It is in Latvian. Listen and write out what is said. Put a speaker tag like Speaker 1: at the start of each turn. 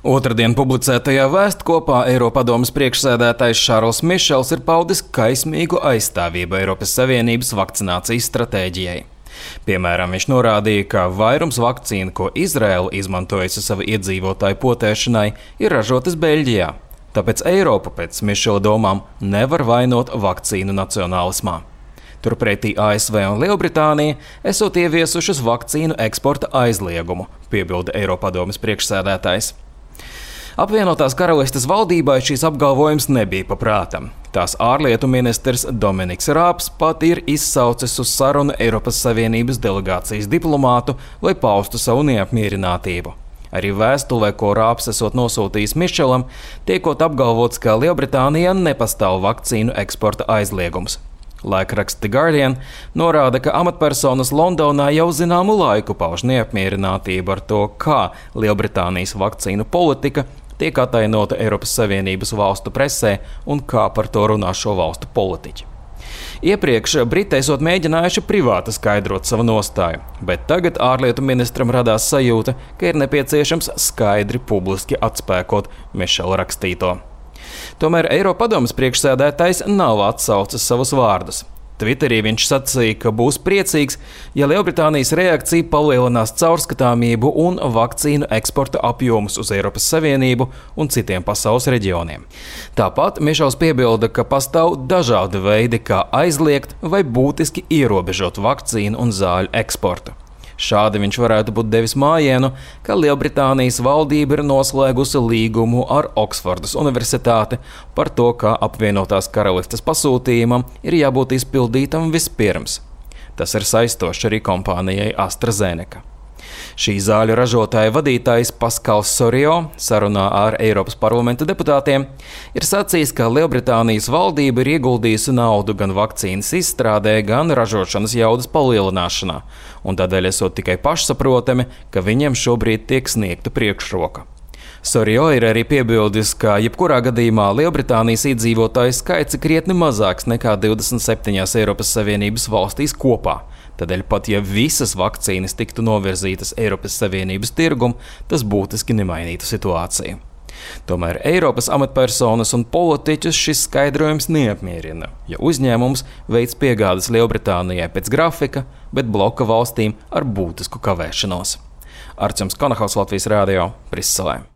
Speaker 1: Otradien publicētajā vēstkopā Eiropadomes priekšsēdētājs Šarls Mišels ir paudis kaismīgu aizstāvību Eiropas Savienības vakcinācijas stratēģijai. Piemēram, viņš norādīja, ka vairums vakcīnu, ko Izraela izmantojusi savu iedzīvotāju potēšanai, ir ražotas Beļģijā. Tāpēc Eiropa pēc Mišela domām nevar vainot vakcīnu nacionālismā. Turpretī ASV un Lielbritānija esot ieviesušas vakcīnu eksporta aizliegumu, piebilda Eiropadomes priekšsēdētājs. Apvienotās Karalistes valdībai šīs apgalvojums nebija paprātam. Tās ārlietu ministrs Dominiks Rābs pat ir izsaucis uz sarunu Eiropas Savienības delegācijas diplomātu, lai paustu savu neapmierinātību. Arī vēstulē, ko Rābs esot nosūtījis Mišelam, tiekot apgalvots, ka Lielbritānijā nepastāv vakcīnu eksporta aizliegums. Laikraksts The Guardian norāda, ka amatpersonas Londonā jau zināmu laiku pauž neapmierinātību ar to, kā Lielbritānijas vakcīnu politika tiek atainota Eiropas Savienības valstu presē un kā par to runā šo valstu politiķi. Iepriekš Briti esot mēģinājuši privāti skaidrot savu nostāju, bet tagad ārlietu ministram radās sajūta, ka ir nepieciešams skaidri publiski atspēkot Mišela rakstīto. Tomēr Eiropadomes priekšsēdētājs nav atsaucis savus vārdus. Twitterī viņš sacīja, ka būs priecīgs, ja Lielbritānijas reakcija palielinās caurskatāmību un vakcīnu eksporta apjomus uz Eiropas Savienību un citiem pasaules reģioniem. Tāpat Mišels piebilda, ka pastāv dažādi veidi, kā aizliegt vai būtiski ierobežot vakcīnu un zāļu eksportu. Šādi viņš varētu būt devis mājienu, ka Lielbritānijas valdība ir noslēgusi līgumu ar Oksfordas universitāti par to, ka apvienotās karalistes pasūtījumam ir jābūt izpildītam vispirms. Tas ir saistošs arī kompānijai AstraZeneca. Šī zāļu ražotāja vadītājs Paskals Sorio sarunā ar Eiropas parlamenta deputātiem ir sacījis, ka Lielbritānijas valdība ir ieguldījusi naudu gan vakcīnas izstrādē, gan ražošanas jaudas palielināšanā, un tādēļ esot tikai pašsaprotami, ka viņiem šobrīd tiek sniegta priekšroka. Sorio ir arī piebildis, ka jebkurā gadījumā Lielbritānijas iedzīvotāju skaits ir krietni mazāks nekā 27 Eiropas Savienības valstīs kopā. Tādēļ pat ja visas vakcīnas tiktu novirzītas Eiropas Savienības tirgumu, tas būtiski nemainītu situāciju. Tomēr Eiropas amatpersonas un politiķus šis skaidrojums neapmierina, jo uzņēmums veic piegādes Lielbritānijai pēc grafika, bet bloka valstīm ar būtisku kavēšanos. Arčuns Konahaus, Latvijas Rādio, Briselē.